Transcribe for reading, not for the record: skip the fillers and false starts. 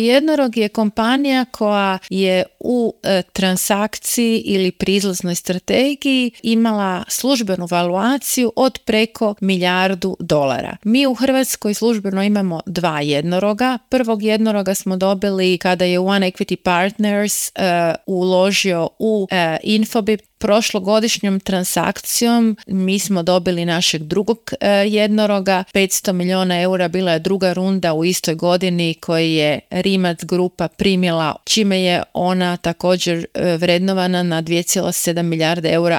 Jednorog je kompanija koja je u transakciji ili pri izlaznoj strategiji imala službenu valuaciju od preko $1 milijardu. Mi u Hrvatskoj službeno imamo 2 jednoroga. Prvog jednoroga smo dobili kada je One Equity Partners uložio u Infobip. Prošlogodišnjom transakcijom mi smo dobili našeg drugog jednoroga, 500 milijuna eura, bila je druga runda u istoj godini koju je Rimac grupa primila, čime je ona također vrednovana na 2,7 milijarde eura,